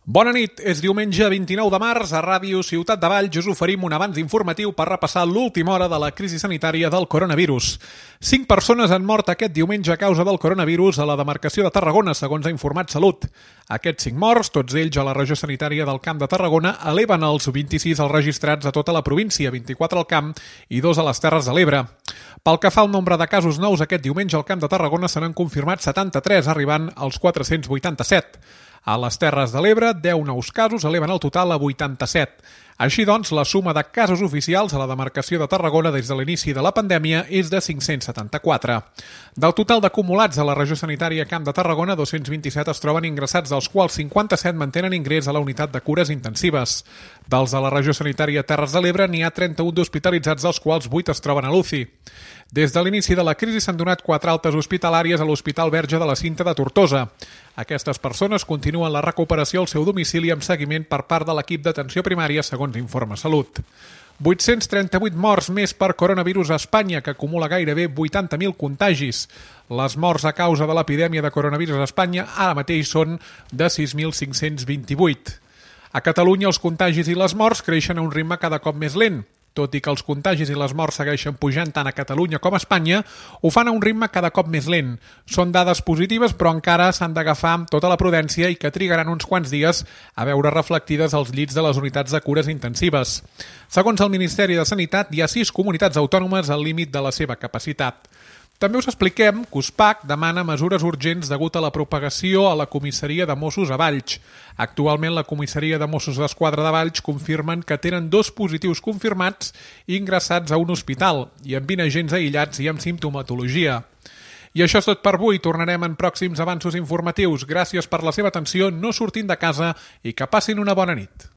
Bona nit, és diumenge 29 de març, a Ràdio Ciutat de Valls us oferim un avanç informatiu per repassar l'última hora de la crisi sanitària del coronavirus. 5 persones han mort aquest diumenge a causa del coronavirus a la demarcació de Tarragona, segons ha informat Salut. Aquests 5 morts, tots ells a la regió sanitària del Camp de Tarragona, eleven els 26 els registrats a tota la província, 24 al Camp i 2 a les Terres de l'Ebre. Pel que fa al nombre de casos nous, aquest diumenge al Camp de Tarragona se n'han confirmat 73, arribant als 487. A les Terres de l'Ebre, 10 nous casos eleven el total a 87. Així doncs, la suma de casos oficials a la demarcació de Tarragona des de l'inici de la pandèmia és de 574. Del total d'acumulats a la regió sanitària Camp de Tarragona, 227 es troben ingressats, dels quals 57 mantenen ingrés a la unitat de cures intensives. Dels de la regió sanitària Terres de l'Ebre n'hi ha 31 d'hospitalitzats, dels quals 8 es troben a l'UCI. Des de l'inici de la crisi s'han donat 4 altes hospitalàries a l'Hospital Verge de la Cinta de Tortosa. Aquestes persones continuen la recuperació al seu domicili amb seguiment per part de l'equip d'atenció primària, segons informa Salut. 838 morts més per coronavirus a Espanya, que acumula gairebé 80.000 contagis. Les morts a causa de l'epidèmia de coronavirus a Espanya ara mateix són de 6.528. A Catalunya els contagis i les morts creixen a un ritme cada cop més lent. Tot i que els contagis i les morts segueixen pujant tant a Catalunya com a Espanya, ho fan a un ritme cada cop més lent. Són dades positives, però encara s'han d'agafar amb tota la prudència i que trigaran uns quants dies a veure reflectides als llits de les unitats de cures intensives. Segons el Ministeri de Sanitat, hi ha 6 comunitats autònomes al límit de la seva capacitat. També us expliquem que USPAC demana mesures urgents degut a la propagació a la comissaria de Mossos a Valls. Actualment, la comissaria de Mossos d'Esquadra de Valls confirmen que tenen 2 positius confirmats ingressats a un hospital i amb 20 agents aïllats i amb simptomatologia. I això és tot per avui. Tornarem en pròxims avanços informatius. Gràcies per la seva atenció, no sortim de casa i que passin una bona nit.